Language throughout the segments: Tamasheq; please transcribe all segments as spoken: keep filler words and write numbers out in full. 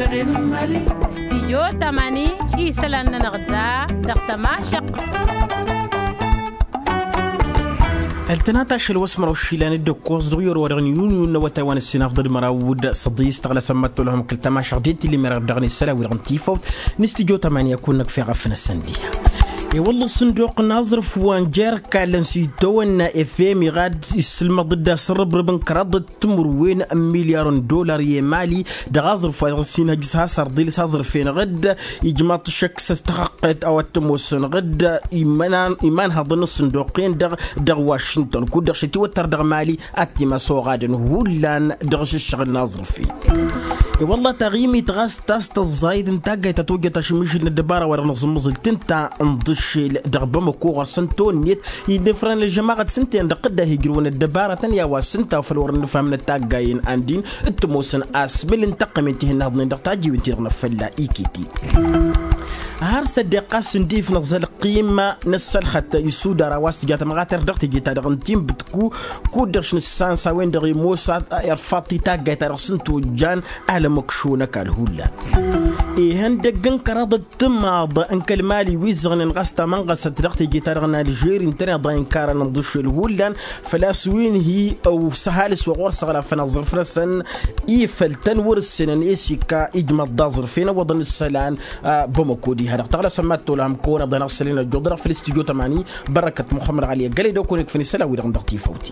Stijyo tamani isălan-nănăɣ da dăɣ-tămašăq. Ăltănat ašăl wa s-măraw išilan d-ăkkoẓ dăɣ-iyor wa dăɣ-niyuniyun n-awătay wa n-ǝssin afḍăl măraw d-săḍis tăɣlăsăn măttăwăl hăm kăl-tămašăq d-e-tilli merăɣ dăɣ-nǝssăl a-wi-dăɣ n-tifawt n-stijyo tamani a kunna kfeɣ afnăsăn diha. I-wălla ǝssǝnduq n-aẓrǝf wa n-jer-kallăn s-itawănna efem iɣad issǝlmăḍ-dd asărrăbrǝb n-kăraḍăt timǝrwen n-milyar n-dollar i-emali dăɣ-aẓrǝf wa dăɣ-s inhăjj s-has-arḍil s-aẓrǝf-enăɣ-dd. Ijmaḍ-t šăkk s-ăstăxăqqet a-wa t-ămoosănăɣ-dd imanhaḍăn n-ǝssǝnduq-en-dăɣ dăɣ-wašǝntăn kud-dăɣ šătiwăttăr dăɣ-mali ad-t-imas oɣadăn hullan dăɣ-ašǝššăɣǝl n-aẓrǝf-en. I-wălla taɣimit ɣas ta s-tăẓẓayăt n-taggayt ta tojjăt ašǝmmišǝl n-ăddăbara wa dăɣ-nǝẓǝmmăẓǝl tǝnta n-iḍǝššel dăɣ-bamăko ɣur-săn tonnǝyăt. Innă ifrăn ălžămaɣăt s-ǝnta-en-dăɣ dd-ahijrǝwăn ăddăbara tăn-i a-wa s-ǝnta făl wăr-ănnǝfham n-ătaggayen an din t-ămoosăn asmǝl n-taqqămen ti-hin-naḍnen dăɣ-tajjiwen-ti-dăɣ n-afălla ikiti. Har s-ăddeɣ ɣas ǝndif nǝẓăl ăqqim n-ăssălxăt isudar a-wa s-tǝja tămɣater dăɣ-teje-ta-dăɣ n-tinbǝtku kud-dăɣ š-nǝssan s-a-wen-dăɣ imoos irfaḍ-t i-taggayt-ta-dăɣ s-ǝnta ojjan alămăkšo n-ăkall hullan. Ihăndăgg n-kăraḍăt timaḍ n-kăl-mali wi ǝzzăɣnen ɣas tamănɣăsăt dăɣ-teje-ta-dăɣ n-alžeri ǝntăneḍ a inkarăn ǝnḍǝšel hullan făl-a-s wi n-hi-ăw s-ăhalǝs wa ɣur-săɣlafăn aẓrǝf-năsăn. Ifăl tăn-wăr-ǝssenăn esika ijmăḍ d-aẓrǝf-en ăwwăḍăn isălan. Bamăko diha-dăɣ tăɣlăsăm ad-tolhăm kăwăn-iḍen aɣsăl-in ăjjuḍ dăɣ-făll-istudyo tămani. Bărăkăt muxămmăd ɣali ăggălăy d-okăwăn-ikfăn isălan-wi-dăɣ n-dăɣ-tifawt-i.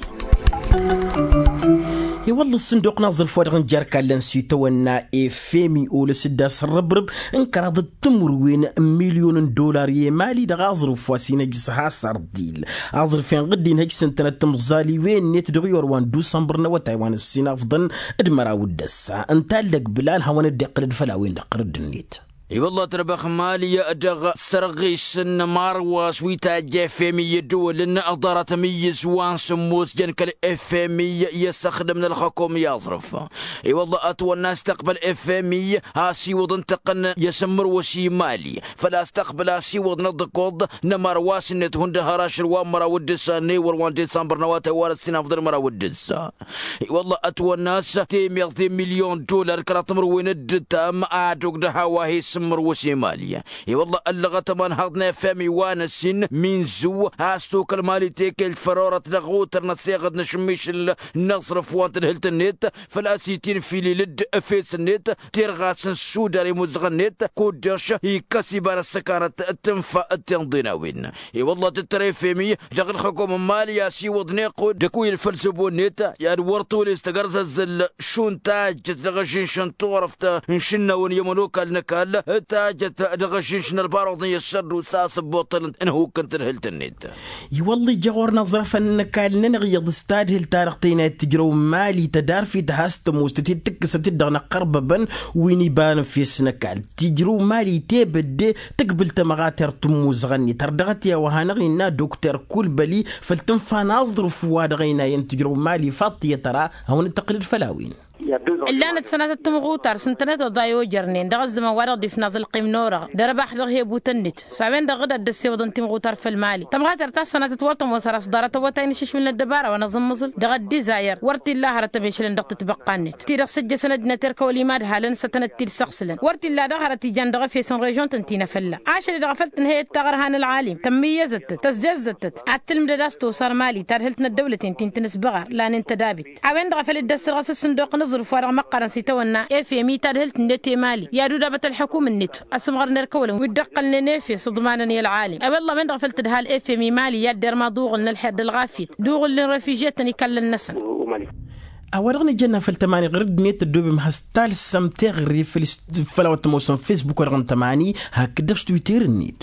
I-wălla ǝssǝnduq n-aẓrǝf wa dăɣ-nǝjar kallăn s-itawănna efemi olăs-dd asărrăbrǝb n-kăraḍăt timǝrwen n-milyon n-dollar i-emali dăɣ-aẓrǝf wa s-inhăj s-has-arḍil. Aẓrǝf-en ɣǝddin hăj s-ǝntănăt timẓaliwen-net dăɣ-iyor wa n-dusănbăr n-awătay wa n-ǝssin afḍăn d-măraw d-ăssa ǝnta a ǝllăg bǝlan hawăn-dd-iqqǝlăd făll-a-wen-dăɣ tărǝddǝn-net. I-wălla tărbax mali dăɣ-sărɣis n-marwas wi tajja efemi i-ăddăwălăn ăḍarăt amǝyyǝz wa n-sǝmmos jăn kăl-efemi i-ăssăxdăm n-ălxăkom i-aẓrǝf. I-wălla ătwănna ăstăqbăl efemi asiwăḍ n-tăqqăn i-asǝmmărwăs i-mali făl-a-s tăqbăl asiwăḍ n-aḍǝkoḍ n-ămarwas-net hundăɣ har ašăl wa n-măraw d-ǝssa n-ewăr wa n-disămbăr n-awătay wa n-ăssin afḍăl măraw d-ǝssa. I-wălla ătwănna a-s temeḍt i-milyon dollar kăraḍ timǝrwen d-ǝttam ad-ogdăh a-wa he-sǝmmărwăs i-mali. I-wălla ăllăɣăt ămanhaḍ n-efem i-wa n-ăssin minzǝw a-s tokăl mali tekelt făll-orăt dăɣ-otăr n-ăseɣăd n-ašǝmmišǝl n-aẓrǝf wa n-tadhǝlt-net făl-a-s itinfilil-dd efes-net tirɣas n-sudar i-imuzăɣăn-net kud-dăɣ ikkăs iba n-ăssăkanăt d-tǝnfa d-tinḍen a-wen. I-wălla tǝttăr efemi dăɣ-ǝlxǝkom n-mali a-s iwăḍ n-iqqud d-ăkuyǝl făll-săbo-net i-ad-wăr tolest tăgg-ărzăzzăl šund tajjăt dăɣ-ažžǝnš n-turăft n-išǝnnawăn i-ămănokal n-ăkall tajjăt dăɣ-ažžǝnš n-ălbaruḍ n-i-ăššăddu s-asǝbbuṭṭăl n-ihuk n-tadhǝlt-net. I-wălla ija ɣur-năẓrăfăn n-ăkall-nănăɣ iyyăḍ s-tadhǝlt ta-dăɣ tăynayăt tǝjrăw n-mali tădarfit has-tămoos tăt-dd-tǝkkǝsăt-dd dăɣ-inăqqărbăbăn wi n-iba n-efes n-ăkall tǝjrǝw mali tebădde tǝkbǝl tămɣater tǝmmuzăɣăn-net har dăɣ-t i-a-wa hanăɣ-innă dokter kulbăli făll-tǝnfa n-aẓrǝf wa dăɣ-ăynayăn tǝjrăw mali ifaḍ-t i-ad-tăra hawăn-dd-tăqqǝlăd făll-a-wen. Ǝllanăt sănatăt timɣutar s-ǝntănăt ăḍa i-ojărnen dăɣ-ăzzăman wa dăɣ-dd-ifnaẓ ălqim n-orăɣ d-ărbax dăɣ-hebutăn-net s-a-wen-dăɣ dd-ad-dd-ăssewăḍăn timɣutar făll-mali tămɣatăr ta s-sănatăt wăr tămoos har ăṣḍarăt awătay n-ašǝšwǝl n-ăddăbara wa n-aẓǝmmǝẓǝl dăɣ-ăddizayăr wăr t-illa hărăt ămešălăn dăɣ-tǝtbăqqa-net ti-dăɣ s-ǝjjăsăn ăddinăt erk awăl imadhalăn s-ătănăt-t-id-săɣsǝlăn wăr t-illa daɣ hărăt ijan dăɣ-efes n-režion-tăn ti n-afălla ašăl-i-dăɣ a făl tǝnhăyăt taɣărha n-ălɣalim tămmǝyyăzăt-tăt tăzzăzzăt-tăt ad-tǝlmǝdăd a-s tosar mali tadhǝlt n-ăddăwlăten ti n-tinǝsbăɣar lanen tădabit a-wen-dăɣ a făl dd-ăssărɣăs ǝssǝnduq n-aẓrǝf wa dăɣ-măqqărăn s-itawănna efemi tadhǝlt-net i-mali i-ad-udabăt ălḥukum-net ăsǝmɣăr n-erk ăwălăn wi dd-ăqqălnen efes iḍmanăn i-ălɣalim a-wa ăllam-en-dăɣ a făl tǝdhal efemi mali i-ad-derma aḍuɣǝl n-ălxer d-ălɣafyăt d-uɣǝlli n-refižyetăn ikallăn-năsăn. A-wa dăɣ-nǝjănna făll-tămani ɣur-dd-net ăddoobem has-talsăm teɣăre făll-a-wa t-ămoosăn fesbuk wa dăɣ-n tămani hakd-dăɣ s-twitter-net.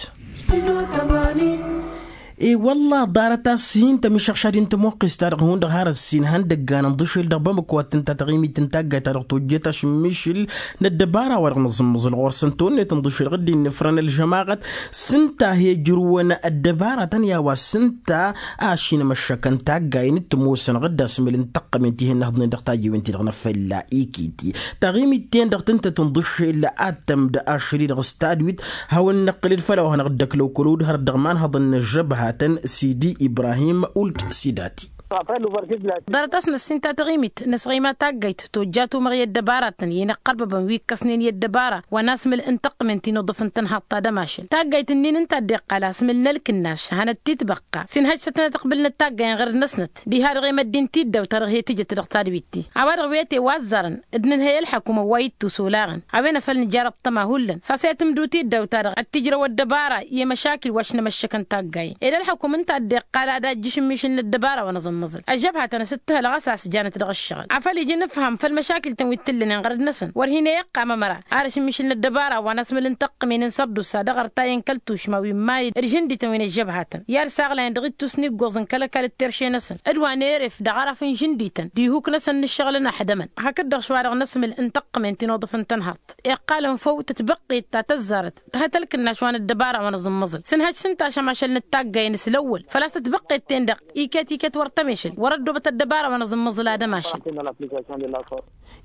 I-wălla ḍarăt a-s hin-tămišăɣšad-in tămoqqes-ta-dăɣ hundăɣ har ăssin ihăndăggan ǝnḍǝšel dăɣ-bamăko ad-tǝnta taɣimit n-taggayt-ta-dăɣ tojjet ašǝmmišǝl n-ăddăbara wa dăɣ-nǝẓǝmmǝẓǝl ɣur-săn tawănnet ǝnḍǝšel ɣǝddin n-ifrăn ălžămaɣăt s-ǝnta a he-ǝjrǝwăn ăddăbaratăn i-a-wa s-ǝnta a ašinămăššăkăn taggayen d-tămoosăn ɣǝdda asmǝl n-taqqămen ti hin-nǝhǝḍnen dăɣ-tajiwen-ti-dăɣ n-afălla ikiti taɣimit-ten-dăɣ tǝntăt ǝnḍǝšel ad-tămd ašăl-i-dăɣ s-tadwit. Hawăn-năqqǝlăd făll-a-wa hanăɣ-dd-ăklow kălo-dd hărăt dăɣ-imanhăḍăn n-ăžžăbhatăn sidi ibrahim uld sidati. Ḍarăt a-s năssinta taɣimit n-asɣima taggayt tojja tumăɣ i-ăddăbaratăn i-inăqqărbăbăn wi ǝkkăsnen i-ăddăbara wa n-asmǝl n-tăqqǝmen ti n-uḍǝf n-tănhaḍt ta d-ămašăl taggayt-ǝnnin ǝnta a dd-iqqal asmǝl n-ălkǝnnaš hanăt-titbăqqa s-inhăj s-ătnăt ăqbǝl n-ăttaggayăn ɣăr-năsnăt diha-dăɣ i-măddin tiddaw ta dăɣ-he-tǝjăt dăɣ-tadwit-ti a-wa-dăɣ wi ătewăzzarăn d-inhăy ălḥăkum ăwwa ittus olaɣăn a-wen a făl nǝjar ăṭṭăma hullan s-a-s i-tǝmdut iddaw-ta-dăɣ ad-t-ijrăw ăddăbara i-măšakil wa š-nămăššăkăn taggayăn ed ălḥăkum ǝnta a dd-iqqal ad-ajjǝš ǝmmišǝl n-ăddăbara wa n-aẓǝmmăẓǝl ăžžăbhatăn a-s ǝttǝhălăɣ a-s a-s janăt dăɣ-ǝššăɣǝl afăl ija inǝfham făll-măšakil-tăn wi t-tǝllănen ɣărăt-năsăn wăr hin-e-iqqam ămăra arăš ǝmmišǝl n-ăddăbara wa n-asmǝl n-tăqqǝmen n-sărdusa dăɣ-ărtay n-kăl-tušma wi n-imali d-žǝndităn wi n-ăžžăbhatăn i-ad-saɣlayăn dăɣ-ittus n-iggoẓ n-kăl-ăkall d-terše-năsăn d-wa n-eref dăɣ-araf n-žǝndităn d-ihuk-năsăn n-ǝššăɣǝl ănaxdămăn hakd-dăɣ šwa dăɣ-năsmǝl n-tăqqǝmen ti n-oḍǝf n-tănhăḍt iqqalăn făw tătbăqqet ta tăzzarăt tăhăt ălkǝnnaš wa n-ăddăbara wa n-aẓǝmmăẓǝl s-ǝnhăj s-ǝnta ašămašăl n-ǝttaggayăn s-lăwwăl făl-a-s tătbăqqet-ten-dăɣ iket-iket wăr tămešăl wăr-ăddoobăt ăddăbara wa n-aẓǝmmăẓǝl ad-ămašăl.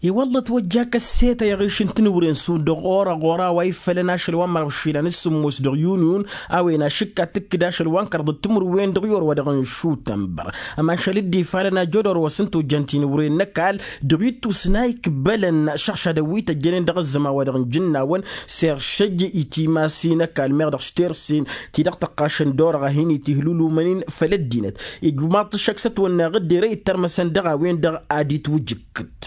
I-wălla ătwăjja kăssetăy aɣiš n-tinǝwre n-sud dăɣ-ɣur-ăɣora wa iffălăn ašăl wa n-mărăbšilăn s-sǝmmos dăɣ-yuniyun a-wen ašǝkka tǝkkǝd ašăl wa n-kăraḍăt timǝrwen dăɣ-i orwa dăɣ-inšutănbăr ămašăl dd-ifalăn ajădor wa s-ǝnta ojjăn tinǝwre n-ăkall dăɣ-ittus n-a ikbălăn šăɣšadăn wi tăjjănen dăɣ-ăzzăman wa dăɣ-injǝnnawăn s-eršăj i-timasin ăkall meɣ dăɣ-s tersen ti-dăɣ tăqqašăn d-orăɣ a hin-itihlulumăn-in făll-ăddinăt ijmaḍ-t ăššăk s-ătwănna ɣǝddere ittărmăsăn dăɣ-a-wen-dăɣ ad-itwǝjǝkkǝd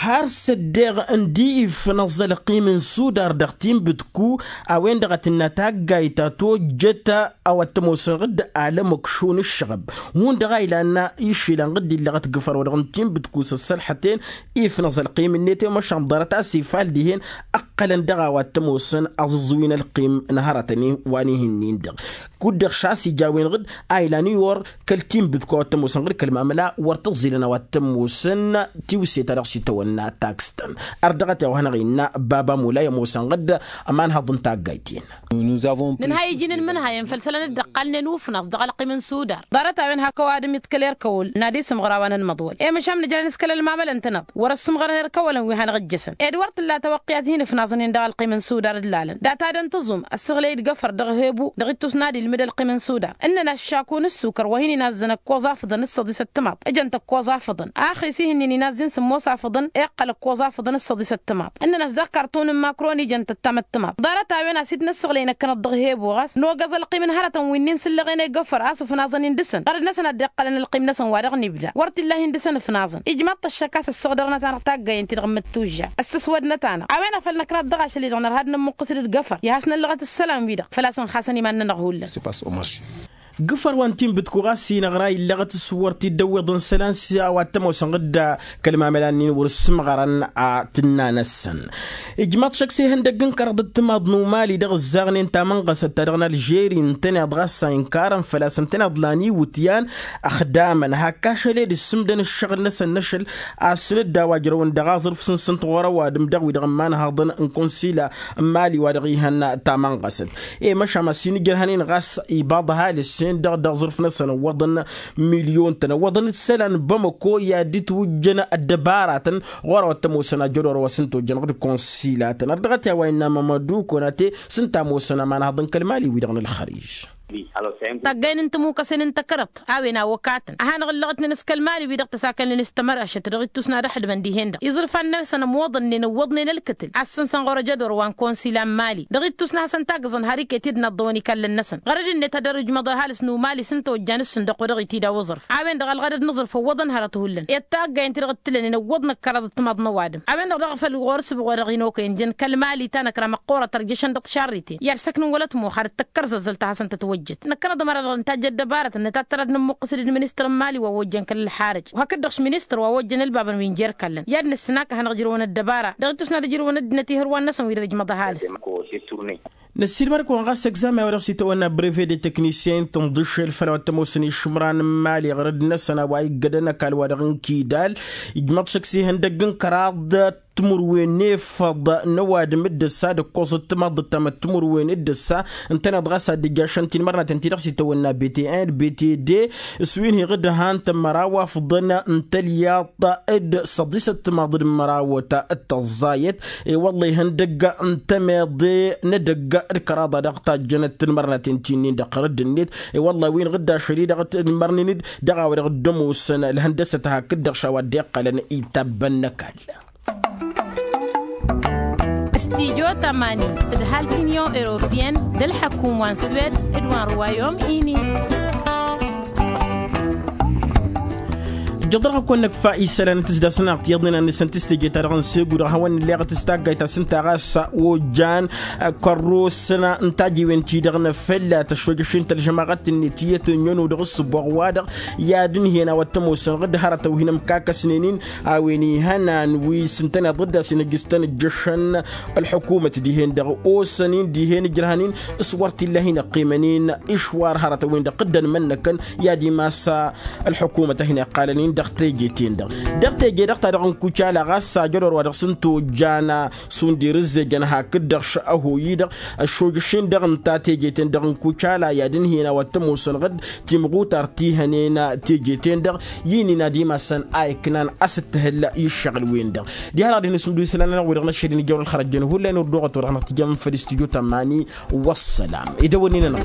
har s-ăddeɣ ǝndi ifnăẓ ălqim n-sudar dăɣ-tinbǝtku a-wen-dăɣ a tǝnna taggayt ta tojjăt a-wa t-ămoosăn ɣǝdd alămăkšu n-ǝššăɣăb hundăɣ a ilan išilan ɣǝdd illăɣăt gǝfăr wa dăɣ-n tinbǝtku s-ăssălḥăten ifnăẓ ălqim-net i-măšan ḍarăt a-s ifal dihen ǝqqălăn dăɣ-a-wa t-ămoosăn aẓǝẓẓǝwi n-ălqim n-hărătăn wa n-ihi-nin-dăɣ kud-dăɣ šas ija a-wen ɣǝd a ilan iwor kăl-tinbǝtku a-wa t-ămoosăn ɣǝd kăl-mamăla wăr t-ăẓilăn a-wa t-ămoosăn tiwse ta dăɣ-s itawănna tags-tăn. Ărdăɣăt i-a-wa hanăɣ-innă baba mula i-ămoosăn ɣǝd ămanhăḍ n-taggayt-in. Nǝnhay iji n-inmǝnhayăn făll-isălan dd-ăqqalnen ufnaẓ dăɣ-ălqim n-sudar ḍarăt-a-wen hak ăwadǝm iḍkăl erkăwăl n-ad-isǝmɣăr a-wa n-ănmăḍwăl i-măšan nǝjrăn s-kăl-ălmamălăn-tănăḍ wăr-ăssǝmɣărăn erkăwălăn wi hanăɣ-ǝjjăsăn ed wăr t-tǝlla tawăqqiyat hin-ǝfnaẓăn-in dăɣ-ălqim n-sudar d-lalăn data dăn-tǝẓum ăssăɣlăy-dd găfăr dăɣ-hebu dăɣ-ittus n-ad-ilmǝd ălqim n-sudar ǝnnăn aššaku n-ǝssukăr wa hin-inazzăn ăkkoẓ afǝḍăn s-săḍis ăttămaḍ ǝjăn-t ăkkoẓ afǝḍăn axis ih'-ǝnnin inazz-in sǝmmos afǝḍăn iqqăl ăkkoẓ afǝḍăn s-săḍis ăttămaḍ ǝnnăn a-s dăɣ-kartun n-makron ijăn-t ăttam ăttămaḍ ḍarăt-a-wen a-s dd-năssăɣlăy năkkănăt dăɣ-hebu ɣas nogăẓ ălqim n-hărătăn wi n-insǝllăɣen i-găfăr a-s ǝfnaẓăn-in dăɣ-săn ɣărăd-năsăn a dd-iqqălăn ălqim-năsăn wa dăɣ-nibda wăr t-illa hin-dăɣ-săn ǝfnaẓăn ijmaḍ-t ăššăk a-s ăssăɣdăɣnăt-anăɣ taggayăn-ti-dăɣ n-măttujja ăssăswădnăt-anăɣ a-wen a făl năknăt dăɣ-ašăl-i-dăɣ nărha d-nămmuqqǝs-dd găfăr i-ad-has-năllăɣăt ǝssălan-wi-dăɣ făl-a-s ǝnxasăn iman-nănăɣ hullan. Gǝfăr wa n-tinbǝtku ɣas inăɣra illăɣăt s-wăr t-dd-ăwwiḍăn isălan s-a-wa t-ămoosăn ɣǝdda kăl-mamăla-nin wăr-ǝssǝmɣărăn a tǝnna-năsăn. Ijmaḍ šăkk s-ihăndăgg n-kăraḍ d-timaḍ n-umali dăɣ-ǝzzaɣnen tamănɣăsăt ta dăɣ-nălžeri ǝntăneḍ ɣas a inkarăn făl-a-s ǝntăneḍ lan iwǝtyan ăxdamăn hak ašăl ed ǝssǝmdăn ǝššăɣǝl-năsăn n-ašăl a-s n-dd-a-wa ǝjrăwăn dăɣ-aẓrǝf s-ǝnsǝnt ɣur-ăwadǝm dăɣ-wi-dăɣ n-imanhăḍăn n-kunsila n-imali wa dăɣ-ihăn tamănɣăsăt. I-măšan a-s inǝjrăhăn-in ɣas ibaḍ ăhalǝs-en-dăɣ dăɣ-aẓrǝf-năsăn ǝwwăḍăn milyon-tăn ăwwăḍăn d-isălan n-bamăko i-ad-dd-twǝjjăn ăddăbaratăn ɣur-a-wa t-ămoosăn ajădor wa s-ǝnta ojjăn d-konsilatăn ărdăɣăt i-a-wa innă mămădu konate s-ǝnta a ămoosăn ămanhăḍ n-kăl-mali-wi-dăɣ n-ălxărij. Taggayn n-tămukăsen n-takărăḍt a-wen a wăkatăn a hanăɣ-ǝllăɣătnen s-kăl-mali-wi-dăɣ tăsakălnen s-tămărăšăt dăɣ-ittus n-ad-ăxdǝmăn dihen-dăɣ iẓrǝfan-năsăn ămwăḍănnen ǝwwăḍnen ălkǝtǝl a ǝssǝnsăn ɣur-ejădor wa n-konsila n-mali dăɣ-ittus n-hasăn-taggǝẓăn har iket-dd n-aḍḍăwăn ikallăn-năsăn ɣărăd-net ad-dăr-ijmăḍ ăhalǝs n-umali s-ǝnta ojjan s-sǝndăqq wa dăɣ-itida uẓrǝf a-wen-dăɣ ălɣădăd n-aẓrǝf ăwwăḍăn hărăt hullan i-taggayăn-ti-dăɣ ǝttǝlănen ăwwăḍ n-ăkkăraḍ d-timaḍ n-ăwadǝm a-wen-dăɣ daɣ făl ɣur-ǝssǝbɣ wa dăɣ-inokăyăn jăn kăl-mali ta năkra măqqoorăt ărjăšăn dăɣ-tišarriten i-ad-săknǝn wăla ătmuxar d-tăkkărzăzzălt a hasăn-tătwăjjăt năkkănăḍ ămăra-dăɣ nǝtajj ăddăbarăt ănnăt ad-tărăd nǝmmuqqǝs-dd ministăr n-imali wa ojjăn kăl-ălxarăj wa hakd-dăɣ-š ministăr wa ojjăn ălbabăn wi n-jer-ikallăn i-ad-nǝssǝn a kăhănăɣ ǝjrăwăn ăddăbara dăɣ-ittus n-ad-ǝjrǝwăn ăddinăt ihǝrwan-năsăn wi dăr-ijmăḍ ăhalǝs. Năssiilmăd-kăwăn ɣas egzamen wa dăɣ-s itawănna breve de teknisyen tǝnḍǝšel făll-a-wa t-ămoosăn išǝmran n-imali ɣărăd-năsăn a-wa iggădăn ăkall wa dăɣ-n kidal ijmăḍ šăkk s-ihăndăgg n-kăraḍ. timǝrwen efăḍ n-ăwadǝm d-ǝssa d-ǝkkoẓăt timaḍ d-ăttamăt timǝrwen d-ǝssa. Ǝntăneḍ ɣas ad-dd-ǝjjašăn tinmărnaten ti-dăɣ s-itawănna bt n bt d s-wi n-hi-ɣǝdhan tămmăraw afḍăn n-tălyaḍt d-săḍisăt timaḍ d-mărawăt d-tăẓẓayăt. I-wălla ihăndăgg n-temeḍe n-edăgg d-kăraḍa dăɣ-tajjănăt tinmărnaten ti-nin-dăɣ ɣărădd-net. I-wălla wi n-ɣǝdda ašăl-i-dăɣ tinmărnen-dd dăɣ-a-wa dăɣ-dd-ămoosăn ǝlhăndăsăt hakd-dăɣ šawa dd-iqqălăn itabbăn n-ăkall. Studyo tămani d-ăhalk n-inyon europiyăn d-ălḥăkum wa n-swed d-wa n-rwayom ini. Ǝjjăḍ dăɣ-akăwăn-năkfa isălan n-tǝsdasăn-anăɣ tiyyăḍnen ad-nǝsăn tǝsteje-ta-dăɣ n-segu dăɣ-hawăn-nǝlleɣ tǝstaggayt a-s ǝnta ɣas ojjan kărrosăn n-tajiwen-ti-dăɣ n-afălla tăššojăš-in tălžămaɣăt-net iyyăt ănn-ănnu dăɣ-ǝssǝboɣ-wa-dăɣ i-ad-ǝnhǝyăn a-wa t-ămoosăn ɣǝd hărătăn wi n-ămkakăsnen-in a-wen ihănan wi s-ǝntăneḍ ɣǝdda s-inăjjǝstăn ǝjjăšăn ălḥukumăt dihen-dăɣ osăn-in dihen ǝjrăhăn-in s-wăr t-illa a hin-ăqqimăn-in išwar hărătăn-win-dăɣ dd-ănmănnăkăn i-ad-imas ălḥukumăt a hin-iqqalăn-in dăɣ-teje-ten-dăɣ. Dăɣ-teje-dăɣ ta dăɣ-n kucala ɣas ajădor wa dăɣ-s n-tojjan šund irǝzzejăn hakd-dăɣ š-ăhoy-i-dăɣ ăššojăš-in-dăɣ ǝnta teje-ten-dăɣ n-kucala i-ad-ǝnhǝyăn a-wa t-ămoosăn ɣǝd timɣutart ti hănen teje-ten-dăɣ i-ǝnnin ad-imasăn a iknan a-s dd-tǝhǝl i-ǝššăɣǝl-wen-dăɣ. Diha-dăɣ dihen-asǝmdǝw isălan-nănăɣ wi-dăɣ n-ăššăl-in ijăwăn ălxărăjjăn hullan ur-dăɣ-ătwăr dăɣ-năɣ tǝjjăm făll-istudyo tămani. Wăssălam. Ed ăwănnin-anăɣ.